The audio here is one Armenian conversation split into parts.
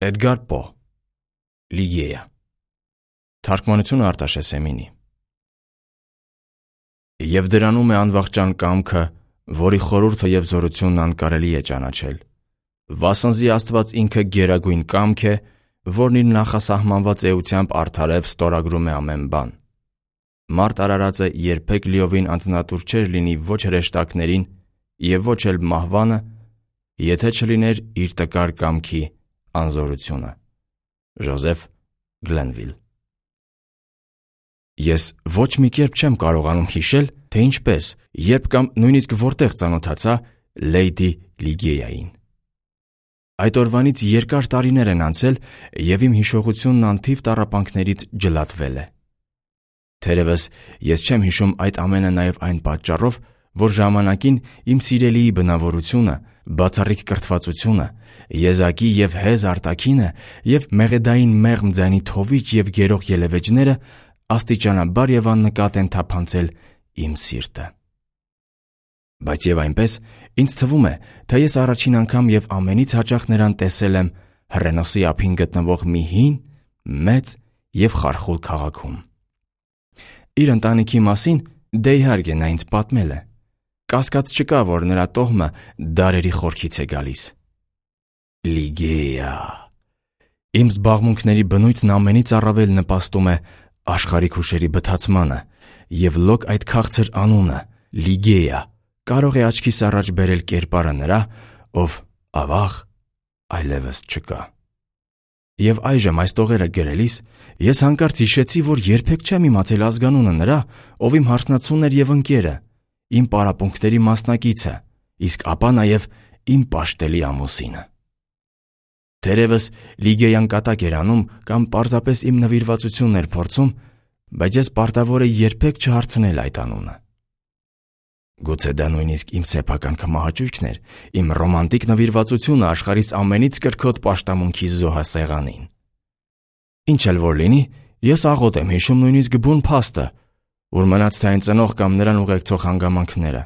Էդգար Պո Լիգեյա Թարգմանությունը Արտաշես Էմինի Եվ դրանում է անվախճան կամքը, որի խորհուրդը և զորությունն անկարելի է ճանաչել, վասնզի Աստված ինքը գերագույն կամք է, որն իր նախասահմանված էությամբ արդարև ստորագրում է ամեն բան։ Մարդ արարածը երբեք լիովին անձնատուր չէր լինի ոչ հրեշտակներին և ոչ էլ մահվանը, եթե չլիներ իր տկար կամքի անզորությունը։ Ժոզեֆ Գլենվիլ Ես ոչ մի կերպ չեմ կարողանում հիշել, թե ինչպես, երբ կամ նույնիսկ որտեղ ծանոթացա Լեյդի Լիգեյային։ Այդ օրվանից երկար տարիներ են անցել, և իմ հիշողությունն անթիվ տառապանքներից ջլատվել է։ Թերևս ես չեմ հիշում այդ ամենը նաև այն պատճառով, որ ժամանակին իմ սիրելիի բնավորությունը, բացառիկ կրթվածությունը, եզակի և հեզ արտաքինը և մեղեդային մեղմ ձայնի թովիչ և գերող ելևէջները աստիճանաբար և աննկատ են թափանցել իմ սիրտը։ Բայց և այնպես, ինձ թվում է, թե ես առաջին անգամ և ամենից հաճախ նրան տեսել եմ հռենոսի ափին գտնվող մի հին, մեծ և խարխուլ քաղաքում։ Իր ընտանիքի մասին դե իհարկե նա ինձ պատմել է։ Կասկած չկա, որ նրա տոհմը դարերի խորքից է գալիս։ Լիգեյա։ Իմ զբաղմունքների բնույթն ամենից առավել նպաստում է աշխարհիկ հուշերի բթացմանը, և լոկ այդ քաղցր անունը՝ Լիգեյա, կարող է աչքիս առաջ բերել կերպարը նրա, ով ավաղ այլևս չկա։ Եվ այժմ այս տողերը գրելիս ես հանկարծ հիշեցի, որ երբեք չեմ իմացել ազգանունը նրա, ով իմ հարսնացուն էր և ընկերը, իմ պարապմունքների մասնակիցը, իսկ ապա նաև իմ պաշտելի ամուսինը։ Թերևս Լիգեյան կատակ էր անում կամ պարզապես իմ նվիրվածությունն էր փորձում, բայց ես պարտավոր էի երբեք չհարցնել այդ անունը։ Գուցե դա նույնիսկ իմ սեփական քմահաճույքն էր, իմ ռոմանտիկ նվիրվածությունը աշխարհիս ամենից կրքոտ պաշտամունքի զոհասեղանին։ Ինչ էլ որ լինի, ես աղոտ եմ հիշում նույնիսկ բուն փաստը, որ մնաց թե այն ծնող կամ նրան ուղեկցող հանգամանքները։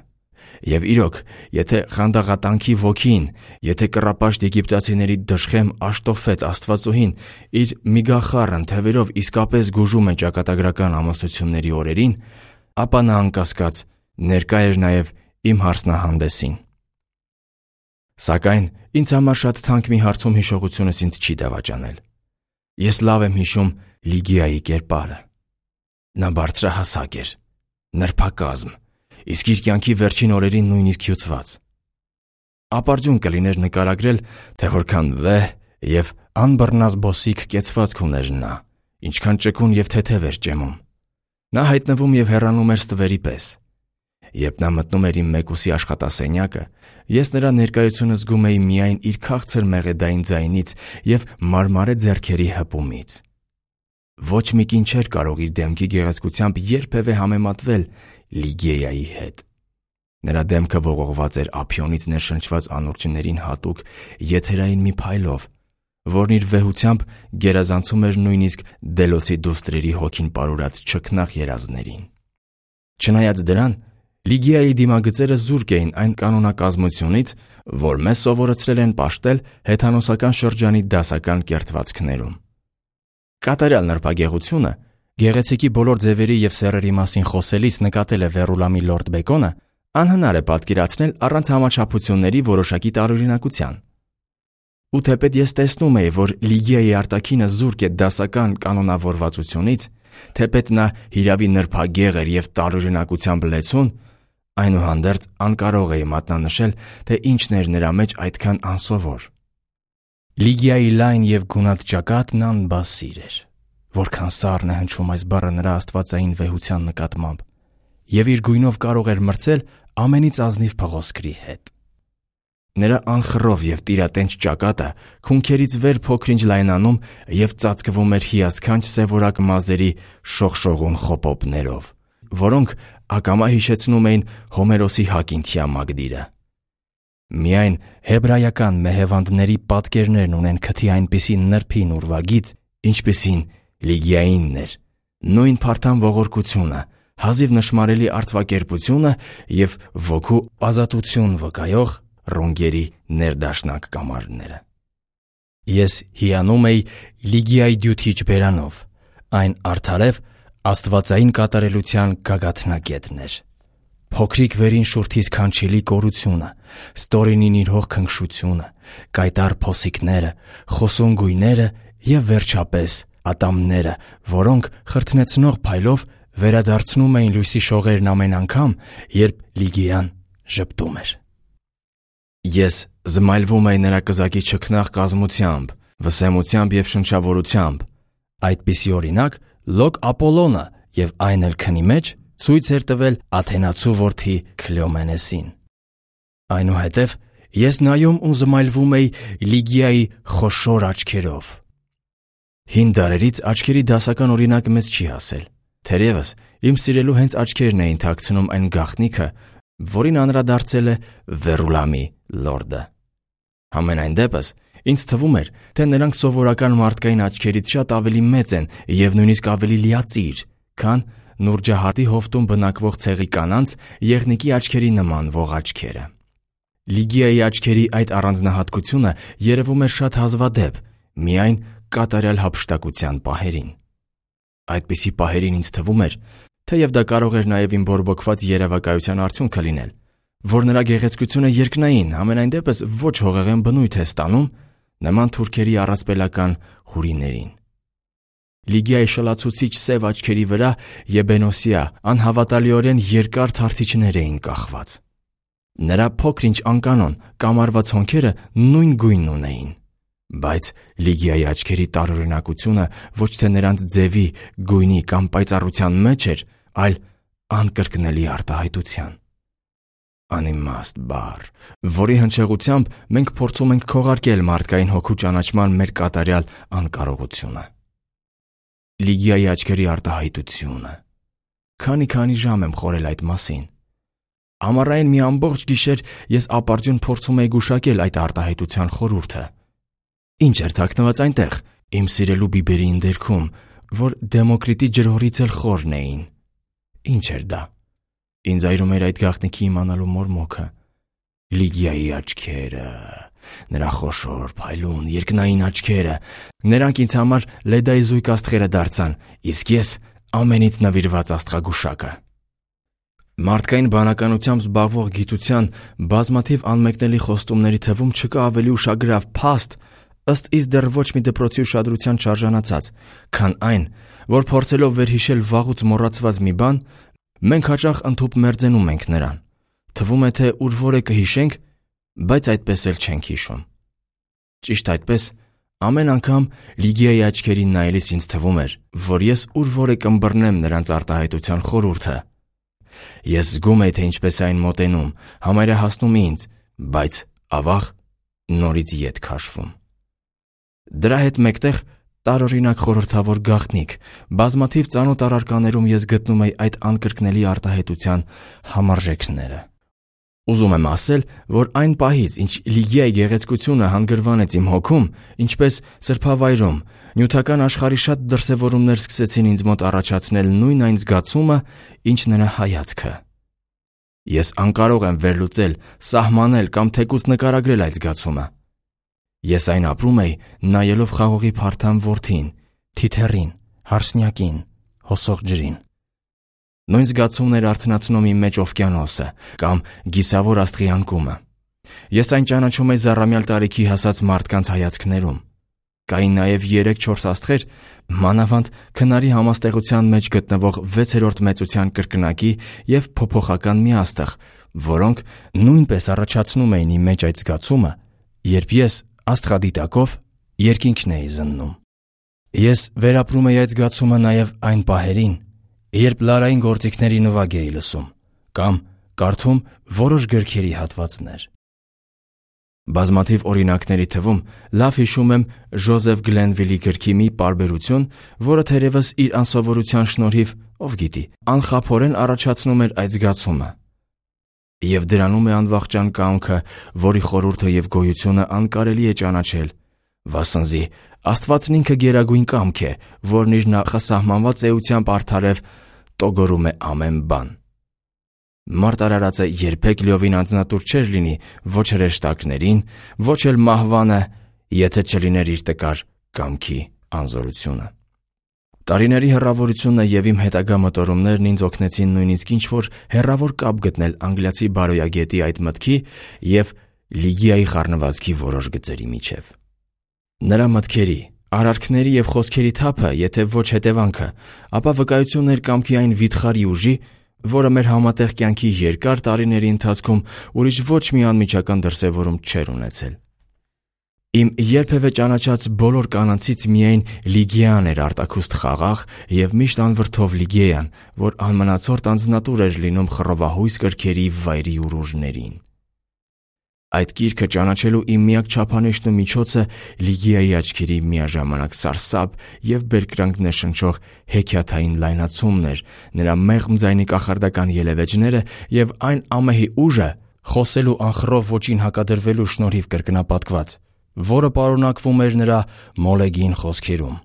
Եվ իրոք, եթե խանդաղատանքի ոգին, եթե կռապաշտ եգիպտացիների դժխեմ Աշտոֆետ աստվածուհին իր միգախառն թևերով իսկապես գուժում է ճակատագրական ամուսնությունների օրերին, ապա նա անկասկած ներկա էր նաև իմ հարսնահանդեսին։ Սակայն ինձ համար շատ թանկ մի հարցում հիշողությունս ինձ չի դավաճանել։ Ես լավ եմ հիշում Լիգեայի կերպարը։ Նա բարձրահասակ էր, նրբակազմ, իսկ իր կյանքի վերջին օրերին նույնիսկ հյուծված։ Ապարդյուն կլիներ նկարագրել, թե որքան վեհ և անբռնազբոսիկ կեցվածք ուներ նա, ինչքան ճկուն և թեթև էր ճեմում։ Նա հայտնվում և հեռանում էր ստվերի պես։ Երբ նա մտնում էր իմ մեկուսի աշխատասենյակը, ես նրա ներկայությունը զգում էի միայն իր քաղցր մեղեդային ձայնից և մարմարե ձեռքերի հպումից։ Ոչ մի կին չէր կարող իր դեմքի գեղեցկությամբ երբևէ համեմատվել Լիգեյայի հետ։ Նրա դեմքը ողողված էր ափիոնից ներշնչված անուրջներին հատուկ եթերային մի փայլով, որն իր վեհությամբ գերազանցում էր նույնիսկ Դելոսի դուստրերի հոգին պարուրած չքնաղ երազներին։ Չնայած դրան, Լիգեայի դիմագծերը զուրկ էին այն կանոնակազմությունից, որ մեզ սովորեցրել են պաշտել հեթանոսական շրջանի դասական կերտվածքներում։ Կատարյալ նրբագեղությունը, գեղեցիկի բոլոր ձևերի և սեռերի մասին խոսելիս նկատել է Վերուլամի Լորդ Բեկոնը, անհնար է պատկերացնել առանց համաչափությունների որոշակի տարօրինակության։ Ու թեպետ ես տեսնում էի, որ Լիգեայի արտաքինը զուրկ է դասական կանոնավորվածությունից, թեպետ նա հիրավի նրբագեղ էր և տարօրինակությամբ լեցուն, այնուհանդերձ անկարող էի մատնանշել, թե ինչն էր նրա մեջ այդքան անսովոր։ Լիգեայի լայն և գունատ ճակատն անբասիր էր, որքան սառն է հնչում այս բառը նրա աստվածային վեհության նկատմամբ, և իր գույնով կարող էր մրցել ամենից ազնիվ փղոսկրի հետ։ Նրա անխռով և տիրատենչ ճակատը քունքերից վեր փոքր-ինչ լայնանում և ծածկվում էր հիասքանչ սևորակ մազերի շողշողուն խոպոպներով, որոնք ակամա հիշեցնում էին Հոմերոսի Հակինթիա Մագդիրը։ Միայն հեբրայական մեհևանդների պատկերներն ունեն քթի այնպիսի նրբին ուրվագիծ, ինչպիսին Լիգեայինն էր, նույն փարթամ ողորկությունը, հազիվ նշմարելի արծվակերպությունը և ոգու ազատություն վկայող ռունգերի ներդաշնակ կամարները։ Ես հիանում էի Լիգիայի դյութիչ բերանով, այն արդարև աստվածային կատարելության գագաթնակետն էր։ Փոքրիկ վերին շուրթիս քանչելի կորությունը, ստորինին իր հող քնքշությունը, կայտառ փոսիկները, խոսուն գույները և վերջապես ատամները, որոնք խրթնեցնող փայլով վերադարձնում էին լույսի շողերն ամեն անգամ, երբ Լիգիան ժպտում էր։ Ես զմայլվում էի նրա կզակի չքնաղ կազմությամբ, վսեմությամբ և շնչավորությամբ։ Այդպիսի օրինակ Լոկ Ապոլոնը և այն էլ քնի մեջ ցույց էր տվել Աթենացու որդի Քլեոմենեսին։ Այնուհետև ես նայում ու զմայլվում էի Լիգիայի խոշոր աչքերով։ Հին դարերից աչքերի դասական օրինակը մեզ չի հասել։ Թերևս իմ սիրելու հենց աչքերն էին թաքցնում այն գաղտնիքը, որին անդրադարձել է Վերուլամի լորդը։ Համենայն դեպս ինձ թվում էր, թե նրանք սովորական մարդկային աչքերից շատ ավելի մեծ են և նույնիսկ ավելի լիածիր, քան Նուրջահատի հովտում բնակվող ցեղի կանանց եղնիկի աչքերի նման ողջ աչքերը։ Լիգիայի աչքերի այդ առանձնահատկությունը երևում էր շատ հազվադեպ, միայն կատարյալ հափշտակության պահերին։ Այդպիսի պահերին ինձ թվում էր, թեև դա կարող էր նաև իմ բորբոքված երևակայության արդյունքը լինել, որ նրա գեղեցկությունը երկնային, համենայն դեպս ոչ հողեղեն բնույթ է ստանում, նման թուրքերի առասպելական հուրիներին։ Լիգիայի շլացուցիչ սև աչքերի վրա եբենոսիա անհավատալիորեն երկար թարթիչներ էին կախված։ Նրա փոքր-ինչ անկանոն կամարված հոնքերը նույն գույնն ունեին, բայց Լիգիայի աչքերի տարօրինակությունը ոչ թե նրանց ձևի, գույնի կամ պայծառության մեջ էր, այլ անկրկնելի արտահայտության։ Անիմաստ բառ, որի հնչեղությամբ մենք փորձում ենք քողարկել մարդկային հոգու ճանաչման մեր կատարյալ անկարողությունը։ Լիգիայի աչքերի արտահայտությունը։ Քանի ժամ եմ խորել այդ մասին։ Ամառային մի ամբողջ գիշեր ես ապարդյուն փորձում էի գուշակել այդ արտահայտության խորհուրդը։ Ինչ էր թաքնված այնտեղ, իմ սիրելու բիբերի ընդերքում, որ Դեմոկրիտի ջրհորից էլ խորն էին։ Ինչ էր դա։ Ինձ այրում էր այդ գաղտնիքի իմանալու մորմոքը։ Լիգիայի աչքերը, նրա խոշոր, փայլուն, երկնային աչքերը, նրանք ինձ համար լեդայի զույգ աստղերը դարձան, իսկ ես ամենից նվիրված աստղագուշակը։ Մարդկային բանականությամբ զբաղվող գիտության բազմաթիվ անմեկնելի խոստումների թվում չկա ավելի ուշագրավ փաստ, ըստ իս դեռ ոչ մի դպրոցի ուշադրության չարժանացած, քան այն, որ փորձելով վերհիշել վաղուց մոռացված մի բան, մենք հաճախ ընդհուպ մերձենում ենք նրան։ Թվում է, թե ուր որ է կհիշենք, բայց այդպես էլ չենք հիշում։ Ճիշտ այդպես, ամեն անգամ Լիգիայի աչքերին նայելիս ինձ թվում էր, որ ես ուր որ է կըմբռնեմ նրանց արտահայտության խորհուրդը։ Ես զգում էի, թե ինչպես այն մոտենում, համարյա հասնում ինձ, բայց ավաղ նորից ետ քաշվում։ Դրա հետ մեկտեղ տարօրինակ խորհրդավոր գաղտնիք, բազմաթիվ ծանոթ առարկաներում ես գտնում էի այդ անկրկնելի արտահայտության համարժեքները։ Ուզում եմ ասել, որ այն պահից, ինչ Լիգիայի գեղեցկությունը հանգրվանեց իմ հոգում, ինչպես սրբավայրում, նյութական աշխարհի շատ դրսևորումներ սկսեցին ինձ մոտ առաջացնել նույն այն զգացումը, ինչ նրա հայացքը։ Ես անկարող եմ վերլուծել, սահմանել կամ թեկուզ նկարագրել այդ զգացումը։ Ես այն ապրում էի, նայելով խաղողի փարթամ որդին, թիթեռին, հարսնյակին, հոսող ջրին։ Նույն զգացումն էր արթնացնում իմ մեջ օվկիանոսը կամ գիսավոր աստղի անկումը։ Ես այն ճանաչում էի զառամյալ տարիքի հասած մարդկանց հայացքներում։ Կային նաև 3-4 աստղեր, մանավանդ քնարի համաստեղության մեջ գտնվող 6-րդ մեծության կրկնակի և փոփոխական մի աստղ, որոնք նույնպես առաջացնում էին իմ մեջ այդ զգացումը, երբ ես աստղադիտակով երկինքն էի զննում։ Ես վերապրում էի այդ զգացումը նաև այն պահերին, երբ լարային գործիքների նվագ էի լսում կամ կարդում որոշ գրքերի հատվածներ։ Բազմաթիվ օրինակների թվում լավ հիշում եմ Ջոզեֆ Գլենվիլի գրքի մի պարբերություն, որը թերևս իր անսովորության շնորհիվ, ով գիտի, անխափորեն առաջացնում էր այդ զգացումը։ Եվ դրանում է անվախճան կամքը, որի խորհուրդը և գոյությունը անկարելի է ճանաչել, վասնզի Աստվածն ինքը գերագույն կամք է, որն իր նախասահմանված էությամբ արդարև տոգորում է ամեն բան։ Մարդ արարածը երբեք լիովին անձնատուր չէր լինի ոչ հրեշտակներին, ոչ էլ մահվանը եթե չլիներ իր տկար կամքի անզորությունը։ Տարիների հեռավորությունը եւ իմ հետագա մտորումներն ինձ օգնեցին նույնիսկ ինչ-որ հեռավոր կապ գտնել անգլիացի բարոյագետի այդ մտքի եւ Լիգիայի խառնվածքի որոշ գծերի միջև։ Նրա մտքերի, արարքների եւ խոսքերի թափը, եթե ոչ հետևանքը, ապա վկայությունն էր կամքի այն վիթխարի ուժի, որը մեր համատեղ կյանքի երկար տարիների ընթացքում ուրիշ ոչ մի անմիջական դրսևորում չէր ունեցել։ Իմ երբևէ ճանաչած բոլոր կանանցից միայն Լիգիան էր արտաքուստ խաղաղ եւ միշտ անվրդով Լիգեան, որ անմնացորդ անձնատուր էր լինում խռովահույս կրքերի վայրի ուռուժներին։ Այդ գիրքը ճանաչելու իմ միակ չափանիշն ու միջոցը Լիգիայի աչքերի միաժամանակ սարսափ եւ բերկրանք ներշնչող հեքիաթային լայնացումն էր, նրա մեղմ ձայնի կախարդական ելևէջները եւ այն ամեհի ուժը խոսելու անխռով ոճին հակադրվելու շնորհիվ կրկնապատկված, որը պարունակվում էր նրա մոլեգին խոսքերում։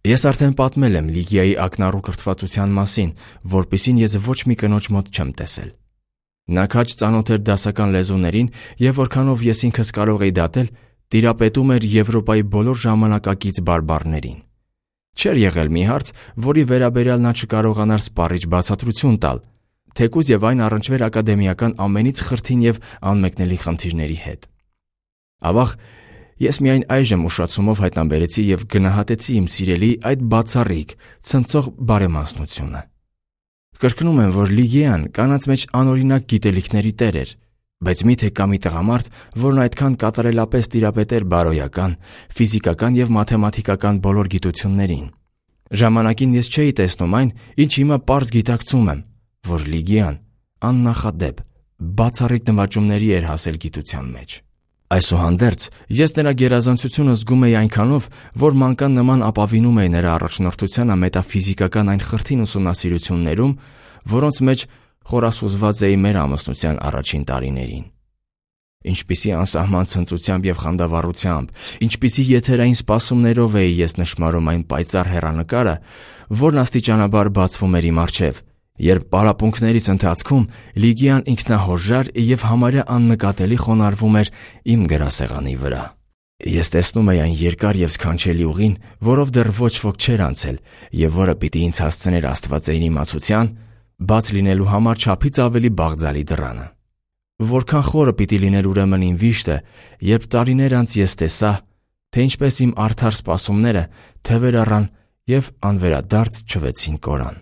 Ես արդեն պատմել եմ Լիգիայի ակնառու կրթվածության մասին, որպիսին ես ոչ մի կնոջ մոտ չեմ տեսել։ Նա քաջ ծանոթ էր դասական լեզուներին եւ որքանով ես ինքս կարող էի դատել, տիրապետում էր Եվրոպայի բոլոր ժամանակակից բարբառներին։ Չէր եղել մի հարց, որի վերաբերյալ նա չկարողանար սպառիչ բացատրություն տալ, թեկուզ եւ այն առնչվեր ակադեմիական ամենից խրթին եւ անմեկնելի խնդիրների հետ։ Ավաղ ես միայն այժմ ուշացումով հայտնաբերեցի եւ գնահատեցի իմ սիրելի այդ բացառիկ, ցնցող բարեմասնությունը։ Կրկնում եմ, որ Լիգիան կանանց մեջ անօրինակ գիտելիքների տեր էր, բայց միթե կա մի տղամարդ, որն այդքան կատարելապես տիրապետեր բարոյական, ֆիզիկական եւ մաթեմատիկական բոլոր գիտություններին։ Ժամանակին ես չէի տեսնում այն, ինչ հիմա պարզ գիտակցում եմ, որ Լիգիան աննախադեպ, բացառիկ նվաճումների էր հասել գիտության մեջ։ Այսուհանդերձ, ես նրա գերազանցությունը զգում էի այնքանով, որ մանկան նման ապավինում էի նրա առաջնորդությանը մետաֆիզիկական այն խրթին ուսումնասիրություններում, որոնց մեջ խորասուզված էի մեր ամուսնության առաջին տարիներին։ Ինչպիսի անսահման ցնծությամբ եւ խանդավառությամբ, ինչպիսի եթերային սպասումներով էի ես նշմարում այն պայծառ հեռանկարը, որն աստիճանաբար բացվում էր իմ առջև, երբ պարապմունքներից ընթացքում Լիգիան ինքնահորժար եւ համարյա աննկատելի խոնարհվում էր իմ գրասեղանի վրա։ Ես տեսնում էի այն երկար եւ սքանչելի ուղին, որով դեռ ոչ ոք չէր անցել եւ որը պիտի ինձ հասցներ աստվածային իմացության, բաց լինելու համար չափից ավելի բաղձալի դռանը։ Որքան խորը պիտի լիներ ուրեմն իմ վիշտը, երբ տարիներ անց ես տեսա, թե ինչպես իմ արդար սպասումները թևեր առան եւ անվերադարձ չվեցին կորան։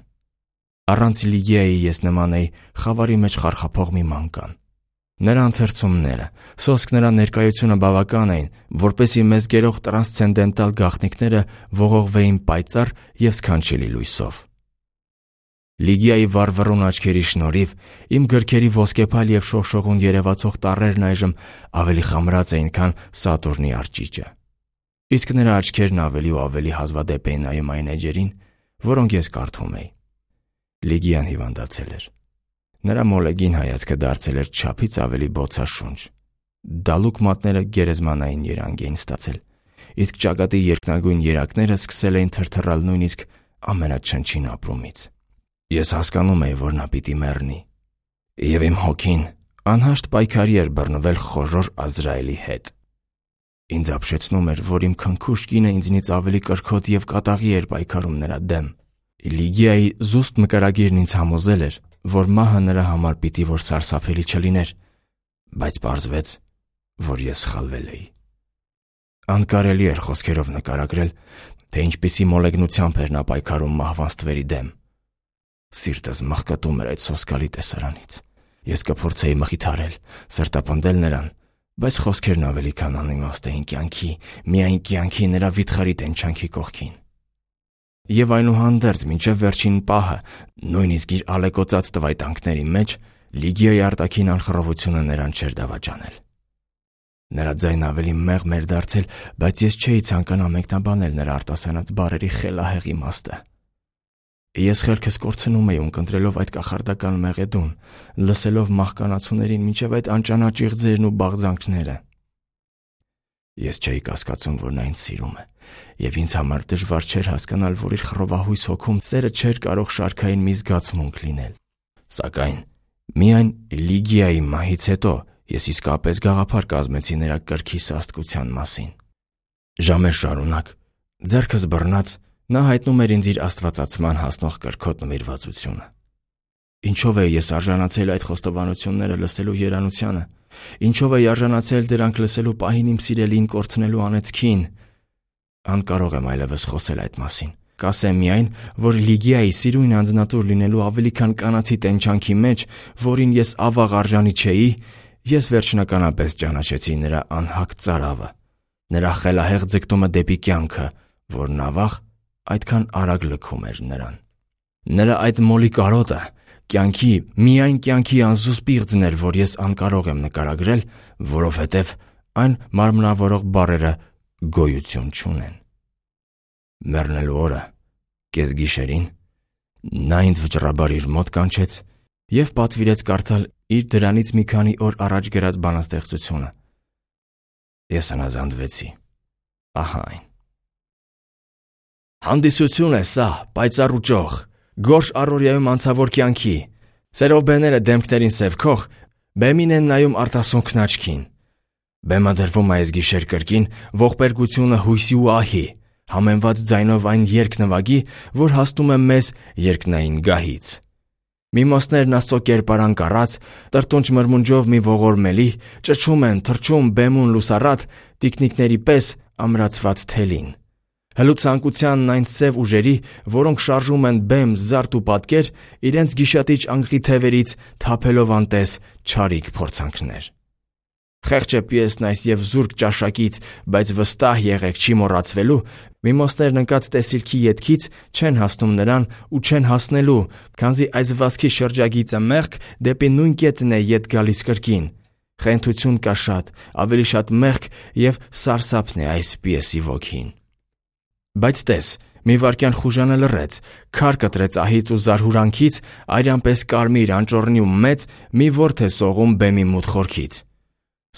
Առանց Լիգիայի ես նման էի խավարի մեջ խարխափող մի մանկան։ Նրա ընթերցումները, սոսկ նրա ներկայությունը բավական էին, որպեսզի մեզ գերող տրանսցենդենտալ գաղտնիքները ողողվեին պայծառ եւ սքանչելի լույսով։ Լիգիայի վառվռուն աչքերի շնորհիվ իմ գրքերի ոսկեփայլ եւ շողշողուն երևացող տառերն այժմ ավելի խամրած էին, քան Սատուրնի արջիճը։ Իսկ նրա աչքերն ավելի ու ավելի հազվադեպ էին նայում այն էջերին, որոնք ես կարդում էի։ Լիգիան հիվանդացել էր։ Նրա մոլեգին հայացքը դարձել էր չափից ավելի բոցաշունչ։ Դալուկ մատները գերեզմանային երանգ էին ստացել, իսկ ճակատի երկնագույն երակները սկսել էին թրթռալ նույնիսկ ամենաչնչին ապրումից։ Ես հասկանում էի, որ նա պիտի մեռնի, եւ իմ հոգին անհաշտ պայքարի էր բռնվել խոժոր Ազրայելի հետ։ Ինձ ապշեցնում էր, որ իմ քնքուշ կինը ինձնից ավելի կրքոտ եւ կատաղի էր պայքարում նրա դեմ։ Լիգիայի զուստ մկրագիրն ինձ համոզել էր, որ մահը նրա համար պիտի որ սարսափելի չլիներ, բայց պարզվեց, որ ես սխալվել էի։ Անկարելի էր խոսքերով նկարագրել, թե ինչպիսի մոլեգնությամբ էր նա պայքարում մահվան ստվերի դեմ։ Սիրտս մաղկատում էր այդ սոսկալի տեսարանից։ Ես կփորձեի մխիթարել, սրտապնդել նրան, բայց խոսքերն ավելի քան անիմաստ էին կյանքի, միայն կյանքի նրա վիթխարի տենչանքի կողքին։ Եվ այնուհանդերձ մինչև վերջին պահը, նույնիսկ իր ալեկոծած տվայտանքների մեջ, Լիգիայի արտաքին անխռովությունը նրան չէր դավաճանել։ Նրա ձայնը ավելի մեղմ էր դարձել, բայց ես չէի ցանկանա մեկնաբանել նրա արտասանած բառերի խելահեղ իմաստը։ Ես խելքս կորցնում էի ունկնդրելով այդ կախարդական մեղեդուն, լսելով մահկանացուներին մինչև այդ անճանաչ իղձերն ու բաղձանքները։ Ես չէի կասկածում, որ նա ինձ սիրում է, եւ ինձ համար դժվար չէր հասկանալ, որ իր խռովահույս հոգում սերը չէր կարող շարքային մի զգացմունք լինել։ Սակայն միայն Լիգիայի մահից հետո Ես իսկապես գաղափար կազմեցի նրա կրքի սաստկության մասին։ Ժամեր շարունակ, ձեռքս բռնած, նա հայտնում էր ինձ իր աստվածացման հասնող կրքոտ նվիրվածությունը։ Ինչով էի ես արժանացել այդ խոստովանությունները լսելու երանությանը։ Ինչով էի արժանացել դրանք լսելու պահին իմ սիրելին կորցնելու անեծքին։ Անկարող եմ այլևս խոսել այդ մասին։ Կասեմ միայն, որ Լիգիայի սիրուն անձնատուր լինելու ավելի քան կանացի տենչանքի մեջ, որին ես ավաղ արժանի չէի, ես վերջնականապես ճանաչեցի նրա անհակ ծարավը, նրա խելահեղ ձգտումը դեպի կյանքը, որն ավաղ այդքան արագ լքում էր նրան։ Նրա այդ մոլի կարոտը կյանքի, միայն կյանքի անզուս պիղծն էր, որ ես անկարող եմ նկարագրել, որովհետև այն մարմնավորող բառերը գոյություն չունեն։ Մեռնելու օրը, կեսգիշերին, նա ինձ վճռաբար իր մոտ կանչեց և պատվիրեց կարդալ իր դրանից մի քանի օր առաջ գրած բանաստեղծությունը։ Ես հնազանդվեցի։ Ահա այն։ Հանդիսություն է սա, պայծառ ու ճոխ, գորշ առօրյայում անցավոր կյանքի, սերով բեները դեմքներին սև քող, բեմին են նայում արտասունքն աչքին։ Բեմադրվում այս գիշեր կրկին ողբերգությունը հույսի ու ահի, համեմված ձայնով այն երգ-նվագի, որ հասնում է մեզ երկնային գահից։ Միմոսներն աստծո կերպարան կառած, տրտունջ մրմունջով մի ողորմելի, ճչում են, թռչում բեմուն լուսառատ, տիկնիկների պես ամրացված թելին։ Հլուցանկությանն այն սև ուժերի, որոնք շարժում են բեմ, զարդ ու պատկեր, իրենց գիշատիչ անկղի թևերից թափելով անտես չարիք փորձանքներ։ Խեղճ է պիեսն այս և զուրկ ճաշակից, բայց վստահ եղեք չի մոռացվելու, միմոսներն ընկած տեսիլքի ետքից չեն հասնում նրան ու չեն հասնելու, քանզի այս վազքի շրջագիծը մեղք դեպի նույն կետն է ետ գալիս կրկին։ Խենթություն կա շատ, ավելի շատ մեղք և սարսափն է այս պիեսի ոգին։ Բայց տես, մի վայրկյան խուժանը լռեց, քար կտրեց ահից ու զարհուրանքից, արյանպես կարմիր, անճոռնի ու մեծ մի ворթ է սողում բեմի մութ խորքից։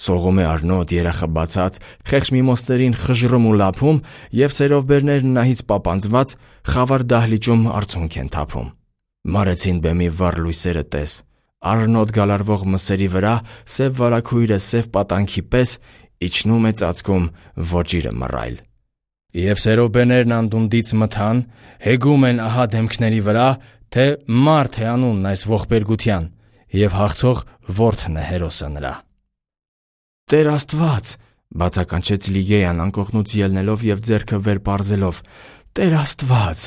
Սողում է առնոտ երախը բացած, խեղճ միմոսներին խժռում ու լափում և սերովբերներն նահից պապանձված խավար դահլիճում արցունք են թափում։ Մարեցին բեմի վառ լույսերը տես, առնոտ գալարվող մսերի վրա սև վարագույրը սև պատանքի պես իջնում է ծածկում ոճիրը մռայլ։ Եվ սերովբերներն անդունդից մթան, հեգում են ահա դեմքների վրա, թե մարդ է անունն այս ողբերգության, և հաղթող որդն է հերոսը նրա։ Տեր Աստված, բացականչեց Լիգեյան անկողնուց ելնելով և ձեռքը վեր պարզելով, Տեր Աստված,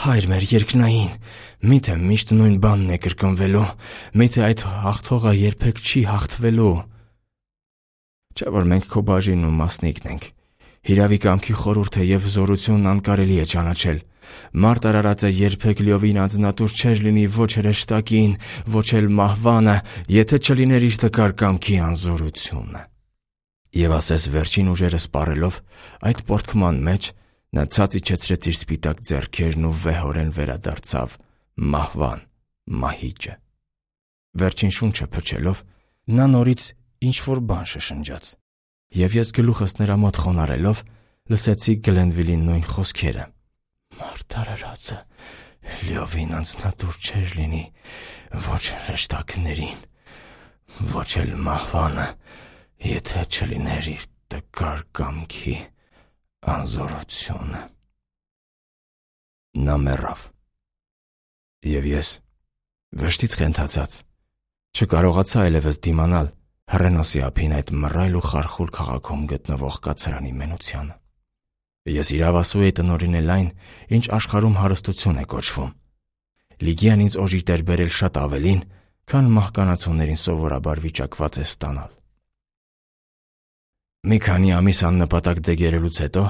Հայր մեր երկնային, միթե միշտ նույն բանն է կրկնվելու, միթե այդ հաղթողը երբեք չի հաղթվելու։ Չէ՞ որ մենք քո բաժինն ու մասնիկն ենք։ Հիրավի կամքի խորհուրդը և զորությունն անկարելի է ճանաչել։ Մարդ արարածը երբեք լիովին անձնատուր չէր լինի ոչ հրեշտակին, ոչ էլ մահվանը, եթե չլիներ իր տկար կամքի անզորությունը։ Եվ ասես վերջին ուժերը սպառելով, այդ պոռթկման մեջ նա ցած իջեցրեց իր սպիտակ ձեռքերն ու վեհորեն վերադարձավ մահվան մահիճը։ Վերջին շունչը փչելով, նա նորից ինչ-որ բան շշնջաց։ Եվ ես գլուխս նրա մոտ խոնարհելով լսեցի Գլենվիլի նույն խոսքերը. Մարդ արարածը լիովին անձնատուր չէր լինի ոչ հրեշտակներին, ոչ էլ մահվանը, եթե չլիներ իր տկար կամքի անզորությունը։ Նա մեռավ։ Եվ ես, վշտից խենթացած, չկարողացա այլևս դիմանալ հռենոսի ափին այդ մռայլ ու խարխուլ քաղաքում գտնվող կացարանի մենությանը։ Ես իրավասու էի տնօրինել այն, ինչ աշխարհում հարստություն է կոչվում։ Լիգիան ինձ օժիտ էր բերել շատ ավելին, քան մահկանացուներին սովորաբար վիճակված է ստանալ։ Մի քանի ամիս աննպատակ դեգերելուց հետո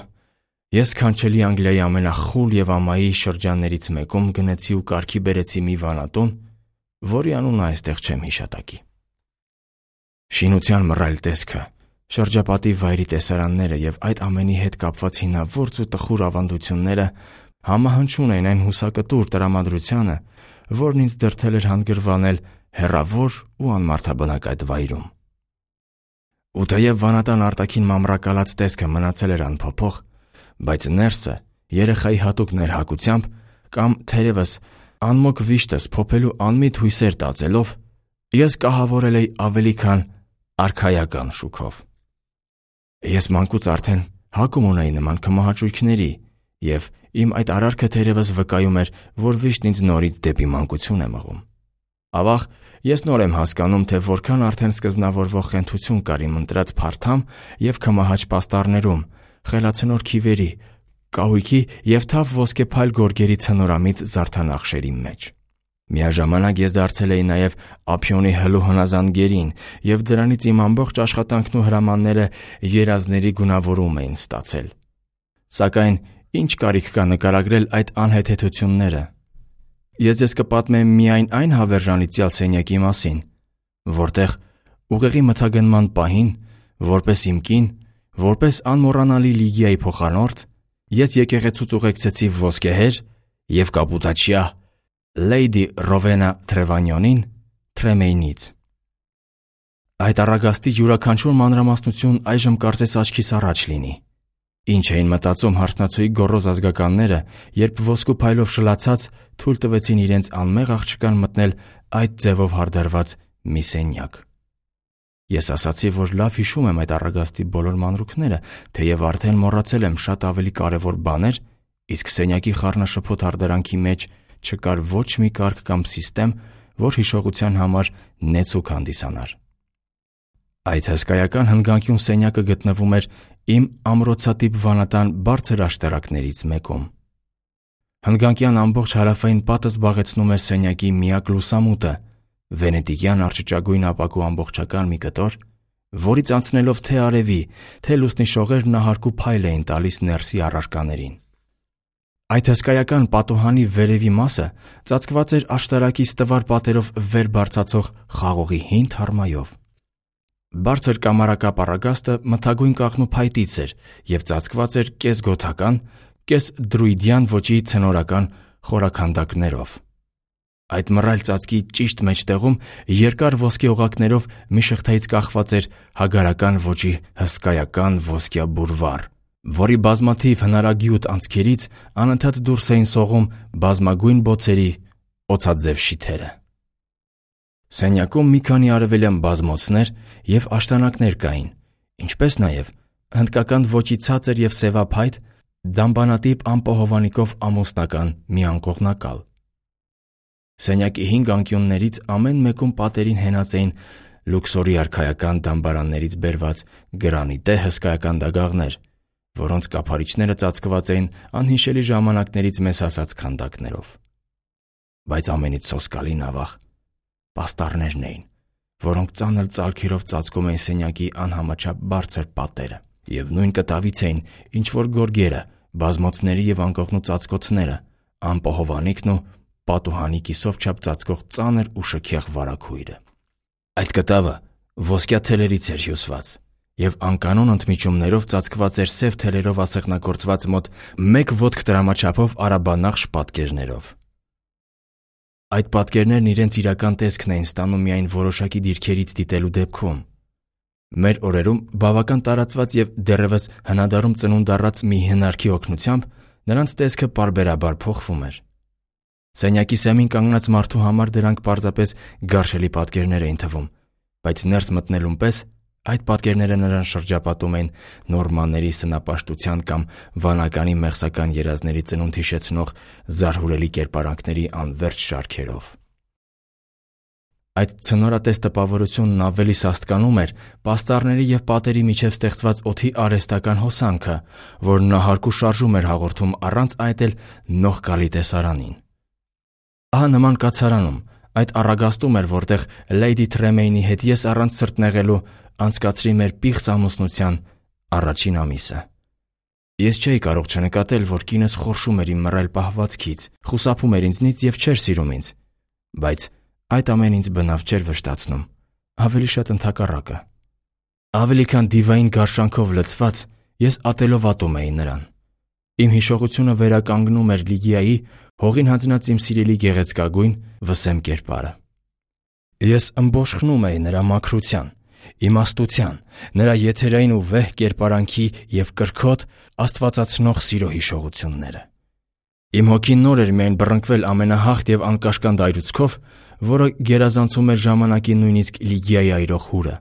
ես քանչելի Անգլիայի ամենախուլ և ամայի շրջաններից մեկում գնեցի ու կարգի բերեցի մի վանատուն, որի անունը այստեղ չեմ հիշատակի։ Շինության մռայլ տեսքը, շրջապատի վայրի տեսարանները և այդ ամենի հետ կապված հինավուրց ու տխուր ավանդությունները համահնչում էին այն հուսակտուր տրամադրությանը, որն ինձ դրդել էր հանգրվանել հեռավոր ու անմարդաբնակ այդ վայրում։ Ու թեև վանատան արտաքին մամռակալած տեսքը մնացել էր անփոփոխ, բայց ներսը երեխայի հատուկ ներհակությամբ կամ թերևս անմոք վիշտս փոփելու անմիտ հույսեր տածելով, ես կահավորել էի ավելի քան արքայական շուքով։ Ես մանկուց արդեն հակում ունեի նման քմահաճույքների, և իմ այդ արարքը թերևս վկայում էր, որ վիշտն ինձ նորից դեպի մանկություն է մղում։ Ավաղ, ես նոր եմ հասկանում, թե որքան արդեն սկզբնավորվող խենթություն կար իմ ընտրած փարթամ և քմահաճ պաստառներում, խելացնոր քիվերի, կահույքի և թավ ոսկեփայլ գորգերի ցնորամիտ զարդանախշերի մեջ։ Միաժամանակ ես դարձել էի նաև ափիոնի հլու հնազանդ գերին, և դրանից իմ ամբողջ աշխատանքն ու հրամանները երազների գունավորում էին ստացել։ Սակայն ինչ կարիք կա նկարագրել այդ անհեթեթությունները։ Ես ձեզ կպատմեմ միայն այն հավերժանիցյալ սենյակի մասին, որտեղ ուղեղի մթագնման պահին, որպես իմ կին, որպես անմոռանալի Լիգիայի փոխանորդ, ես եկեղեցուց ուղեկցեցի ոսկեհեր և կապուտաչյա Լեյդի Ռովենա Թրևանյոնին Թրեմեյնից։ Այդ առագաստի յուրաքանչյուր մանրամասնություն այժմ կարծես աչքիս առաջ լինի։ Ինչ էին մտածում հարսնացուի գոռոզ ազգականները, երբ ոսկու փայլով շլացած թույլ տվեցին իրենց անմեղ աղջկան մտնել այդ ձևով հարդարված մի սենյակ։ Ես ասացի, որ լավ հիշում եմ այդ առագաստի բոլոր մանրուքները, թեև արդեն մոռացել եմ շատ ավելի կարևոր բաներ, իսկ սենյակի խառնաշփոթ հարդարանքի մեջ չկար ոչ մի կարգ կամ սիստեմ, որ հիշողության համար նեցուկ հանդիսանար։ Այդ հսկայական հնգանկյուն սենյակը գտնվում էր իմ ամրոցատիպ վանատան բարձր աշտարակներից մեկում։ Հնգանկյան ամբողջ հարավային պատը զբաղեցնում էր սենյակի միակ լուսամուտը, վենետիկյան արճճագույն ապակու ամբողջական մի կտոր, որից անցնելով թե արևի, թե լուսնի շողեր նահարկ ու փայլ էին տալիս ներսի առարկաներին։ Այդ հսկայական պատուհանի վերևի մասը ծածկված էր աշտարակի ստվար պատերով վեր բարձրացող խաղողի հին թարմայով։ Բարձր կամարակապ առագաստը մթագույն կաղնուփայտից էր և ծածկված էր կես գոթական, կես դրուիդյան ոճի ցնորական խորաքանդակներով։ Այդ մռայլ ծածկի ճիշտ մեջտեղում երկար ոսկե օղակներով մի շղթայից կախված էր հագարական ոճի հսկայական ոսկյա բուրվար, որի բազմաթիվ հնարագյուտ անցքերից անընդհատ դուրս էին սողում բազմագույն բոցերի օձաձև շիթերը։ Սենյակում մի քանի արևելյան բազմոցներ և աշտանակներ կային, ինչպես նաև հնդկական ոճի ցածր և սևափայտ դամբանատիպ ամպոհովանիկով ամուսնական մի անկողնակալ։ Սենյակի 5 անկյուններից ամեն մեկում պատերին հենած էին լուքսորի արքայական դամբարաններից բերված գրանիտե հսկայական դագաղներ, որոնց կափարիչները ծածկված էին անհիշելի ժամանակներից մեզ հասած քանդակներով։ Բայց ամենից սոսկալին ավաղ պաստառներն էին, որոնք ծանր ծալքերով ծածկում էին սենյակի անհամաչափ բարձր պատերը, և նույն կտավից էին ինչ-որ գորգերը, բազմոցների և անկողնու ծածկոցները, ամպոհովանիկն ու պատուհանի կիսով չափ ծածկող ծանր ու շքեղ վարագույրը։ Այդ կտավը ոսկյա թելերից էր հյուսված և անկանոն ընդմիջումներով ծածկված էր սև թելերով ասեղնագործված մոտ 1 ոտք տրամաչափով արաբանախշ պատկերներով։ Այդ պատկերներն իրենց իրական տեսքն էին ստանում միայն որոշակի դիրքերից դիտելու դեպքում։ Մեր օրերում բավական տարածված և դեռևս հնադարում ծնունդ առած մի հնարքի օգնությամբ նրանց տեսքը պարբերաբար փոխվում էր։ Սենյակի սեմին կանգնած մարդու համար դրանք պարզապես գարշելի պատկերներ էին թվում, բայց ներս մտնելուն պես այդ պատկերները նրան շրջապատում էին նորմանների սնապաշտության կամ վանականի մեղսական երազների ծնունդ հիշեցնող զարհուրելի կերպարանքների անվերջ շարքերով։ Այդ ցնորատես տպավորությունն ավելի սաստկանում էր պաստառների և պատերի միջև ստեղծված օդի արհեստական հոսանքը, որ նահարկ ու շարժում էր հաղորդում առանց այդ էլ նող գալի տեսարանին։ Ահա նման կացարանում, այդ առագաստում էր, որտեղ Լեյդի Թրեմեյնի հետ ես առանց սրտնեղելու անցկացրի մեր պիղծ ամուսնության առաջին ամիսը։ Ես չէի կարող չնկատել, որ կինս խորշում էր իմ մռայլ պահվածքից, խուսափում էր ինձնից և չէր սիրում ինձ, բայց այդ ամենն ինձ բնավ չէր վշտացնում, ավելի շատ ընդհակառակը։ Ավելի քան դիվային գարշանքով լցված, ես ատելով ատում էի նրան։ Իմ հիշողությունը վերականգնում էր Լիգիայի հողին հանձնած իմ սիրելի գեղեցկագույն վսեմ կերպարը։ Ես ըմբոշխնում էի նրա մաքրության, իմաստության, նրա եթերային ու վեհ կերպարանքի և կրքոտ աստվածացնող սիրո հիշողությունները։ Իմ հոգին նոր էր միայն բռնկվել ամենահաղթ և անկաշկանդ այրուցքով, որը գերազանցում էր ժամանակի նույնիսկ Լիգիայի այրող հուրը։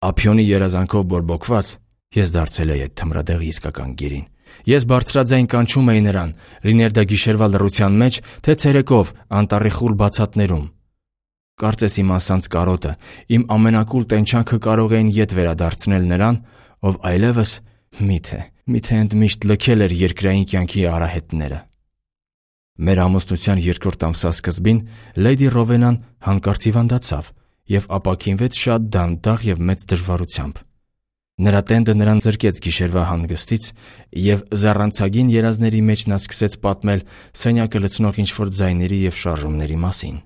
Ափիոնի երազանքով բորբոքված ես դարձել էի այդ թմրադեղի իսկական գերին։ Ես բարձրաձայն կանչում էի նրան, լիներ դա գիշերվա լռության մեջ, թե ցերեկով անտառի խուլ բացատներում։ Կարծես իմ ասանց կարոտը, իմ ամենակուլ տենչանքը կարող էին ետ վերադարձնել նրան, ով այլևս միթե ընդմիշտ լքել էր երկրային կյանքի արահետները։ Մեր ամուսնության երկրորդ ամսվա սկզբին Լեյդի Ռովենան հանկարծ հիվանդացավ և ապաքինվեց շատ դանդաղ և մեծ դժվարությամբ։ Նրա տենդը նրան զրկեց գիշերվա հանգստից, և զառանցագին երազների մեջ նա սկսեց պատմել սենյակը լցնող ինչ-որ ձայների և շարժումների մասին։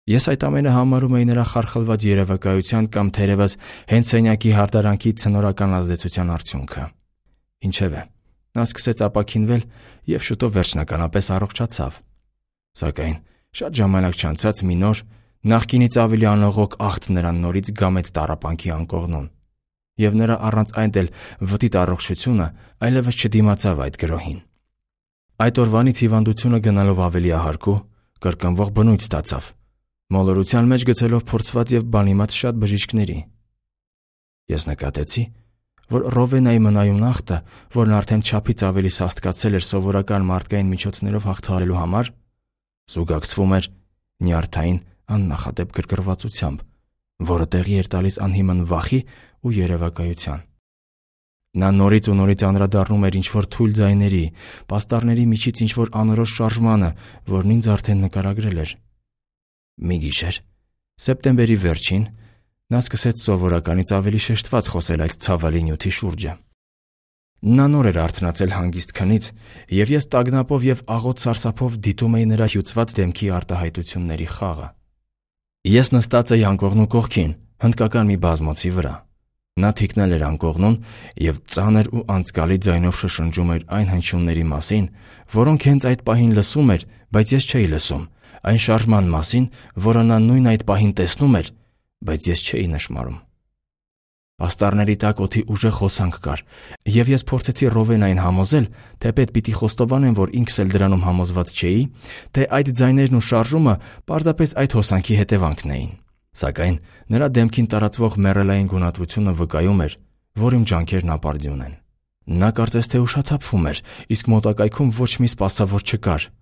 Ես այդ ամենը համարում էի նրա խարխլված երևակայության կամ թերևս հենց սենյակի հարդարանքի ցնորական ազդեցության արդյունքը։ Ինչևէ, նա սկսեց ապաքինվել և շուտով վերջնականապես առողջացավ։ Սակայն շատ ժամանակ չանցած մի նոր, նախկինից ավելի անողոք աղթ նրան նորից գամեց տառապանքի անկողնուն, և նրա առանց այն էլ վտիտ առողջությունը այլևս չդիմացավ այդ գրոհին։ Այդ օրվանից հիվանդությունը գնալով ավելի ահարկու, կրկնվող բնույթ ստացավ, մոլորության մեջ գցելով փորձված և բանիմաց շատ բժիշկների։ Ես նկատեցի, որ Ռովենայի մնայուն ախտը, որն արդեն չափից ավելի սաստկացել էր սովորական մարդկային միջոցներով հաղթահարելու համար, զուգակցվում էր նյարդային աննախադեպ գրգռվածությամբ, որը տեղի էր տալիս անհիմն վախի ու երևակայության։ Նա նորից ու նորից անդրադառնում էր ինչ-որ թույլ ձայների, պաստառների միջից ինչ-որ անորոշ շարժմանը, որն ինձ արդեն նկարագրել էր։ Մի գիշեր, սեպտեմբերի վերջին, նա սկսեց սովորականից ավելի շեշտված խոսել այդ ցավալի նյութի շուրջը։ Նա նոր էր արթնացել հանգիստ քնից, և ես տագնապով և աղոտ սարսափով դիտում էի նրա հյուծված դեմքի արտահայտությունների խաղը։ Ես նստած էի անկողնու կողքին, հնդկական մի բազմոցի վրա։ Նա թիկնել էր անկողնուն և ծանր ու անձկալի ձայնով շշնջում էր այն հնչյունների մասին, որոնք հենց այդ պահին լսում էր, բայց ես չէի լսում, այն շարժման մասին, որը նա նույն այդ պահին տեսնում էր, բայց ես չէի նշմարում։ Պաստառների տակ օդի ուժեղ հոսանք կար, և ես փորձեցի Ռովենային համոզել, թեպետ պիտի խոստովանեմ, որ ինքս էլ դրանում համոզված չէի, թե այդ ձայներն ու շարժումը պարզապես այդ հոսանքի հետևանքն էին։ Սակայն նրա դեմքին տարածվող մեռելային գունատվությունը վկայում էր, որ իմ ջանքերն ապարդյուն են։ Նա կարծես թե ուշաթափվում էր, իսկ մոտակայքում ոչ մի սպասավոր չկար։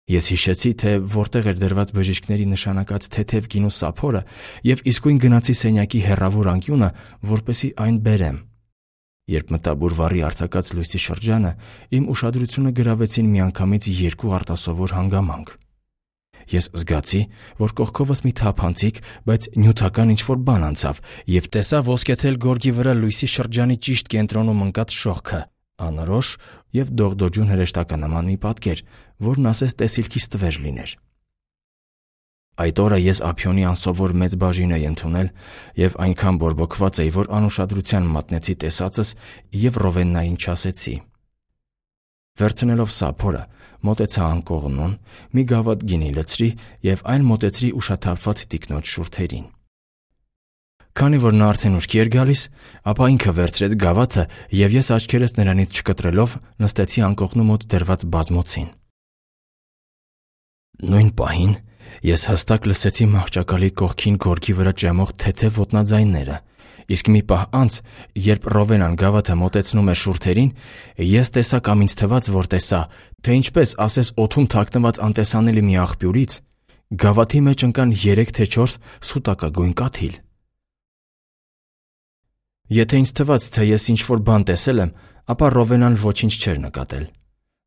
Ես հիշեցի, թե որտեղ էր դրված բժիշկների նշանակած թեթև գինու սափորը և իսկույն գնացի սենյակի հեռավոր անկյունը, որպեսզի այն բերեմ։ Երբ մտա բուրվարի արձակած լույսի շրջանը, իմ ուշադրությունը գրավեցին միանգամից երկու արտասովոր հանգամանք։ Ես զգացի, որ կողքովս մի թափանցիկ, բայց նյութական ինչ-որ բան անցավ, և տեսա ոսկեթել գորգի վրա լույսի շրջանի ճիշտ կենտրոնում ընկած շողքը, անորոշ և դողդոջուն հրեշտականման մի պատկեր, որն ասես տեսիլքիս տվեր լիներ։ Այդ օրը ես ափիոնի անսովոր մեծ բաժին էի ընդունել և այնքան բորբոքված էի, որ անուշադրության մատնեցի տեսածս և Ռովեննային չասեցի։ Վերցնելով սափորը, մոտեցա անկողնուն, մի գավաթ գինի լցրի և այն մոտեցրի ուշաթափված տիկնոջ շուրթերին։ Քանի որ նա արդեն ուշքի էր գալիս, ապա ինքը վերցրեց գավաթը և ես աչքերս նրանից չկտրելով նստեցի անկողնու մոտ դրված բազմոցին։ Նույն պահին ես հստակ լսեցի մահճակալի կողքին գորգի վրա ջեմող թեթև ոտնաձայնները, իսկ մի պահ անց, երբ Ռովենան գավաթը մոտեցնում էր շուրթերին, ես տեսա կամ ինձ թվաց, որ տեսա, թե ինչպես ասես օդում թաքնված անտեսանելի մի աղբյուրից գավաթի մեջ ընկան 3 թե 4 սուտակագույն կաթիլ։ Եթե ինձ թվաց, թե ես ինչ-որ բան տեսել եմ, ապա Ռովենան ոչինչ չէր նկատել։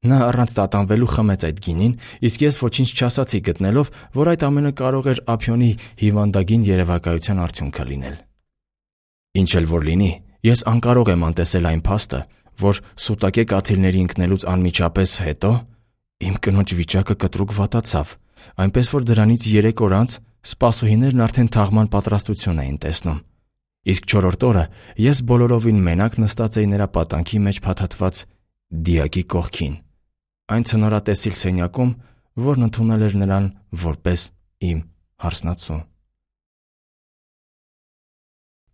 Նա առանց տատանվելու խմեց այդ գինին, իսկ ես ոչինչ չասացի, գտնելով, որ այդ ամենը կարող էր ափիոնի հիվանդագին երևակայության արդյունքը լինել։ Ինչ էլ որ լինի, ես անկարող եմ անտեսել այն փաստը, որ սուտակե կաթիլների ընկնելուց անմիջապես հետո իմ կնոջ վիճակը կտրուկ վատացավ, այնպես որ դրանից 3 օր անց սպասուհիներն արդեն թաղման պատրաստություն էին տեսնում, իսկ 4-րդ օրը ես բոլորովին մենակ նստած էի նրա պատանքի մեջ փաթաթված դիակի կողքին, այն ցնորատեսիլ սենյակում, որն ընդունել էր նրան որպես իմ հարսնացու։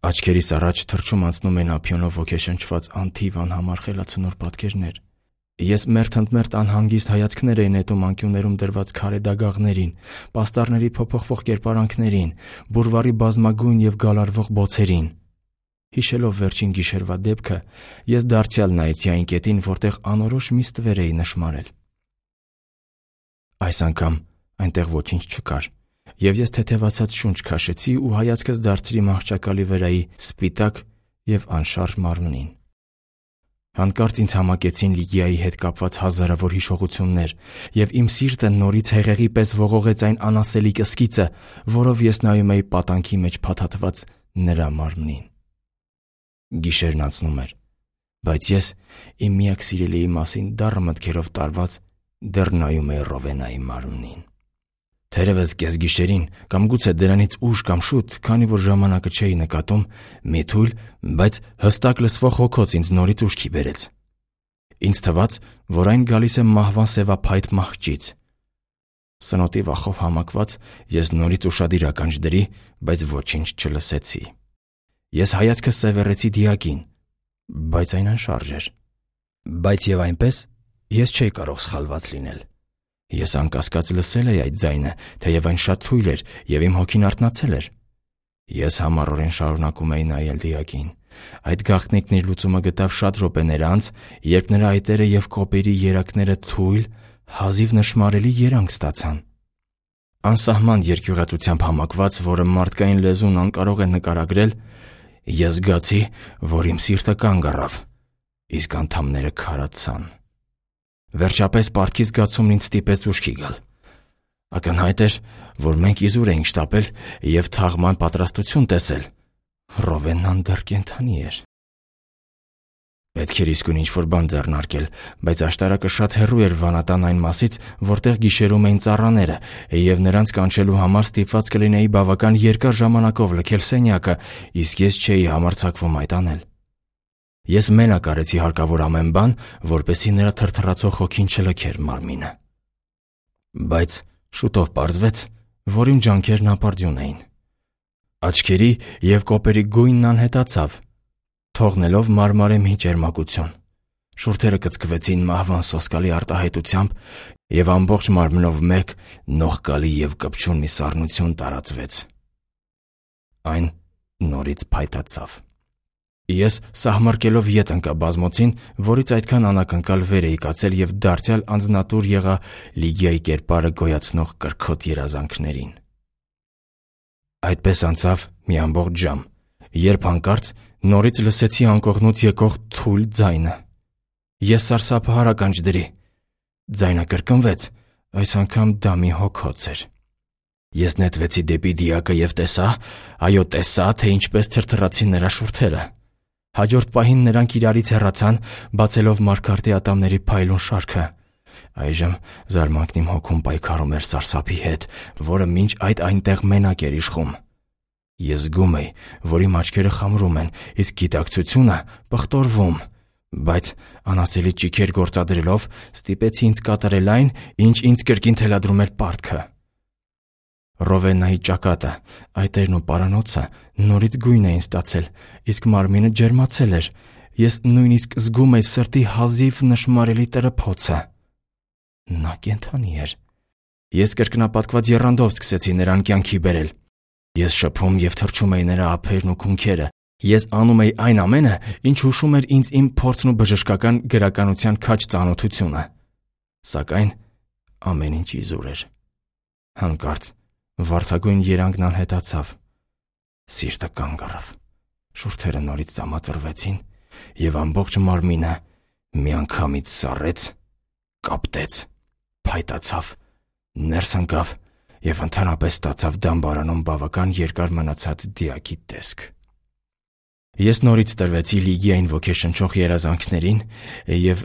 Աչքերիս առաջ թռչում անցնում են ափիոնով ոգեշնչված անթիվ անհամար խելացնոր պատկերներ։ Ես մերթընդմերթ անհանգիստ հայացքներ էի նետում անկյուններում դրված քարե դագաղներին, պաստառների փոփոխվող կերպարանքներին, բուրվարի բազմագույն և գալարվող բոցերին, Հիշելով վերջին գիշերվա դեպքը, ես դարձյալ նայեցի այն կետին, որտեղ անորոշ մի ստվեր էի նշմարել։ Այս անգամ այնտեղ ոչինչ չկար, եւ ես թեթևացած շունչ քաշեցի ու հայացքս դարձրի մահճակալի վրայի սպիտակ եւ անշարժ մարմնին։ Հանկարծ ինձ համակեցին Լիգիայի հետ կապված հազարավոր հիշողություններ, եւ իմ սիրտը նորից հեղեղի պես ողողեց այն անասելի կսկիծը, որով ես նայում էի պատանքի մեջ փաթաթված նրա մարմնին։ Գիշերն անցնում էր, բայց ես իմ միակ սիրելիի մասին դառը մտքերով տարված դեռ նայում էի Ռովենայի մարմնին։ Թերևս կեսգիշերին կամ գուցե դրանից ուշ կամ շուտ, քանի որ ժամանակը չէի նկատում, մի թույլ, բայց հստակ լսվող հոգոց ինձ նորից ուշքի բերեց։ Ինձ թվաց, որ այն գալիս է մահվան սևափայտ մահճից։ Սնոտի վախով համակված ես նորից ուշադիր ականջ դրի, բայց ոչինչ չլսեցի։ Ես հայացքս սևեռեցի դիակին, բայց այն անշարժ էր։ Բայց եւ այնպես ես չէի կարող սխալված լինել։ Ես անկասկած լսել էի այդ ձայնը, թեև այն շատ թույլ էր եւ իմ հոգին արթնացել էր։ Ես համառորեն շարունակում էի նայել դիակին։ Այդ գաղտնիքն իր լուծումը գտավ շատ րոպեներ անց, երբ նրա այտերը եւ կոպերի երակները թույլ, հազիվ նշմարելի երանգ ստացան։ Անսահման երկյուղածությամբ համակված, որը մարդկային լեզուն անկարող է նկարագրել, ես զգացի, որ իմ սիրտը կանգ առավ, իսկ անդամները քարացան։ Վերջապես պարտքի զգացումն ինձ ստիպեց ուշքի գալ։ Ակնհայտ էր, որ մենք իզուր էինք շտապել եւ թաղման պատրաստություն տեսել։ Ռովենան դեռ կենդանի էր։ Պետք էր իսկույն ինչ-որ բան ձեռնարկել, բայց աշտարակը շատ հեռու էր վանատան այն մասից, որտեղ գիշերում էին ծառաները, եւ նրանց կանչելու համար ստիպված կլինեի բավական երկար ժամանակով լքել սենյակը, իսկ ես չէի համարձակվում այդ անել։ Ես մենակ արեցի հարկավոր ամեն բան, որպեսզի նրա թրթռացող հոգին չլքեր մարմինը։ Բայց շուտով պարզվեց, որ իմ ջանքերն ապարդյուն էին։ Աչքերի եւ կոպերի գույնն անհետացավ, թողնելով մարմարեմի ճերմակություն։ Շուրթերը կծկվեցին մահվան սոսկալի արտահայտությամբ եւ ամբողջ մարմնով մեկ նողկալի եւ կպչուն մի սառնություն տարածվեց։ Այն նորից փայտացավ։ Ես սահմարկելով ետ ընկա բազմոցին, որից այդքան անակնկալ վեր էի կացել եւ դարձյալ անձնատուր եղա Լիգիայի կերպարը գոյացնող կրքոտ երազանքներին։ Այդպես անցավ մի ամբողջ ժամ, երբ հանկարծ նորից լսեցի անկողնուց եկող թույլ ձայնը։ Ես սարսափահար ականջ դրի։ Ձայնը կրկնվեց, այս անգամ դա մի հոգոց էր։ Ես նետվեցի դեպի դիակը եւ տեսա, թե ինչպես թրթռացին նրա շուրթերը։ Հաջորդ պահին նրանք իրարից հեռացան, բացելով մարգարտի ատամների փայլուն շարքը։ Այժմ զարմանքն իմ հոգում պայքարում էր սարսափի հետ, որը մինչ այդ այնտեղ մենակ էր իշխում։ Ես զգում էի, որ իմ աչքերը խամրում են, իսկ գիտակցությունը պղտորվում, բայց անասելի ճիքեր գործադրելով ստիպեցի ինձ կատարել այն, ինչ ինձ կրկին թելադրում էր պարտքը։ Ռովենայի ճակատը, այտերն ու պարանոցը նորից գույն էին ստացել, իսկ մարմինը ջերմացել էր։ Ես նույնիսկ զգում էի սրտի հազիվ նշմարելի տրփոցը։ Նա կենդանի էր։ Ես կրկնապատկված եռանդով սկսեցի նրան կյանքի բերել։ Ես շփում եւ թռչում էի նրա ափերն ու քունքերը։ Ես անում էի այն ամենը, ինչ հուշում էր ինձ իմ փորձն ու բժշկական գրականության քաջ ծանոթությունը։ Սակայն ամեն ինչ իզուր էր։ Հանկարծ վարդագույն երանգն անհետացավ։ Սիրտը կանգ առավ։ Շուրթերը նորից ծամածրվեցին եւ ամբողջ մարմինը միանգամից սառեց, կապտեց, փայտացավ, ներս ընկավ եւ ընդհանրապես ստացավ դամբարանում բավական երկար մնացած դիակի տեսք։ Ես նորից տրվեցի Լիգիային ոգեշնչող երազանքներին եւ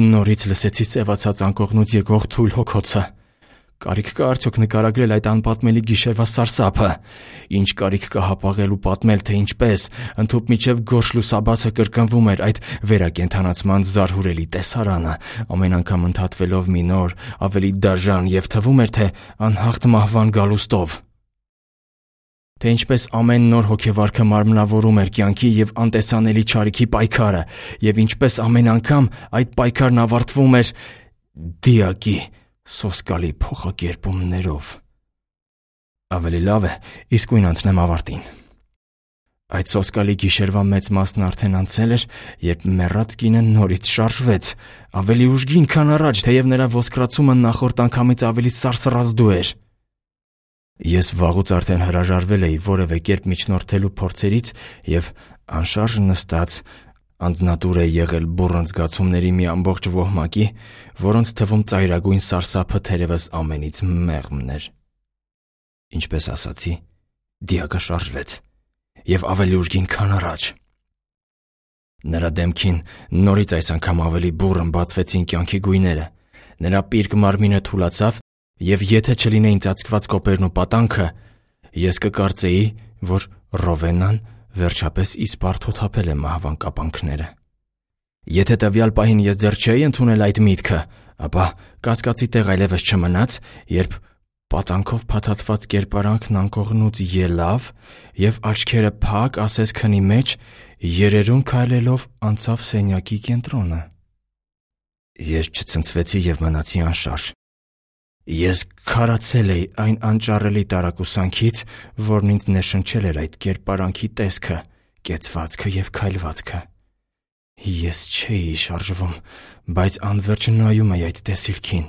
նորից լսեցի սևացած անկողնուց եկող թույլ հոգոցը։ Կարիք կա արդյոք նկարագրել այդ անպատմելի գիշերվա սարսափը։ Ինչ կարիք կա հապաղել ու պատմել, թե ինչպես ընդհուպ միջև գորշ լուսաբացը կրկնվում էր այդ վերակենդանացման զարհուրելի տեսարանը, ամեն անգամ ընդհատվելով մի նոր, ավելի դաժան եւ թվում էր, թե անհաղթ մահվան գալուստով։ Թե ինչպես ամեն նոր հոգեվարքը մարմնավորում էր կյանքի եւ անտեսանելի չարիքի պայքարը, եւ ինչպես ամեն անգամ այդ պայքարն ավարտվում էր դիակի սոսկալի փոխակերպումներով։ Ավելի լավ է իսկույն անցնեմ ավարտին։ Այդ սոսկալի գիշերվա մեծ մասն արդեն անցել էր, երբ մեռած կինը նորից շարժվեց, ավելի ուժգին, քան առաջ, թեև նրա ոսկրացումը նախորդ անգամից ավելի սարսռազդու էր։ Ես վաղուց արդեն հրաժարվել էի որևէ կերպ միջնորդելու փորձերից և անշարժ նստած անձնատուր է եղել բուռն զգացումների մի ամբողջ ոհմակի, որոնց թվում ծայրագույն սարսափը թերևս ամենից մեղմն էր։ Ինչպես ասացի, դիակը շարժվեց և ավելի ուժգին, քան առաջ։ Նրա դեմքին նորից այս անգամ ավելի բուռն բացվեցին կյանքի գույները, նրա պիրկ մարմինը թուլացավ, և եթե չլինեին ծածկված կոպերն ու պատանքը, ես կկարծեի, որ Ռովենան վերջապես իսպառ թոթափել է մահվան կապանքները։ Եթե տվյալ պահին ես դեռ չէի ընդունել այդ միտքը, ապա կասկածի տեղ այլևս չմնաց, երբ պատանքով փաթաթված կերպարանքն անկողնուց ելավ և աչքերը փակ ասես քնի մեջ, երերուն քայլելով անցավ սենյակի կենտրոնը։ Ես չցնցվեցի և մնացի անշարժ։ Ես քարացել էի այն անճարելի տարակուսանքից, որն ինձ ներշնչել էր այդ կերպարանքի տեսքը, կեցվածքը և քայլվածքը։ Ես չէի շարժվում, բայց անվերջ նայում էի այդ տեսիլքին։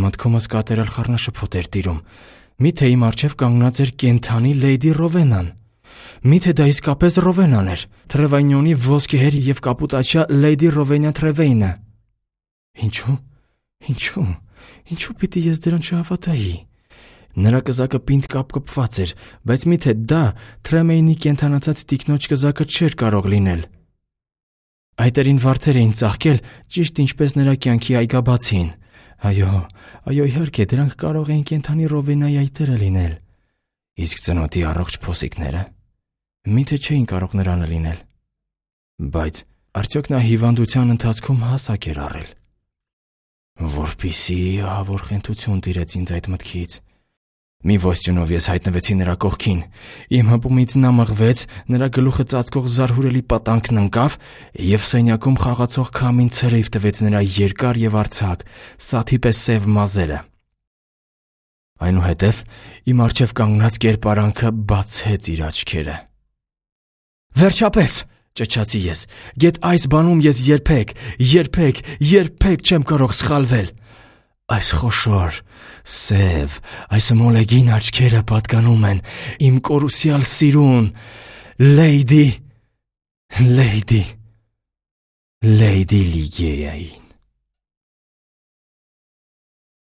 Մտքումս կատերալ խառնաշփոթ էր տիրում։ Միթե իմ առջև կանգնած էր կենդանի Լեյդի Ռովենան։ Միթե դա իսկապես Ռովենան էր, Թրևայնյոնի ոսկեհեր և կապուտաչյա Լեյդի Ռովենյա Թրևեյնը։ Ինչու պիտի ես դրան չհավատայի։ Նրա կզակը պինդ կապկպված էր, բայց միթե դա Թրեմեյնի կենդանացած տիկնոջ կզակը չէր կարող լինել։ Այտերին վարդեր էին ծաղկել, ճիշտ ինչպես նրա կյանքի այգաբացին։ Այո, իհարկե, դրանք կարող էին կենդանի Ռովենայի այտերը լինել։ Իսկ ծնոտի առողջ փոսիկները միթե չէին կարող նրանը լինել։ Բայց արդյոք նա հիվանդության ընթացքում հասակ էր առել։ Որպիսի ահավոր խենթություն տիրեց ինձ այդ մտքից։ Մի ոստյունով ես հայտնվեցի նրա կողքին։ Իմ հպումից նա մղվեց, նրա գլուխը ծածկող զարհուրելի պատանքն ընկավ, և սենյակում խաղացող քամին ցրիվ տվեց նրա երկար և արձակ, սաթի պես սև մազերը։ Այնուհետև իմ առջև կանգնած կերպարանքը բացեց իր աչքերը։ «Վերջապես», ճչացի ես, «գեթ այս բանում ես երբեք չեմ կարող սխալվել։ Այս խոշոր, սև, այս մոլեգին աչքերը պատկանում են իմ կորուսյալ սիրուն Լեյդի Լիգեային»։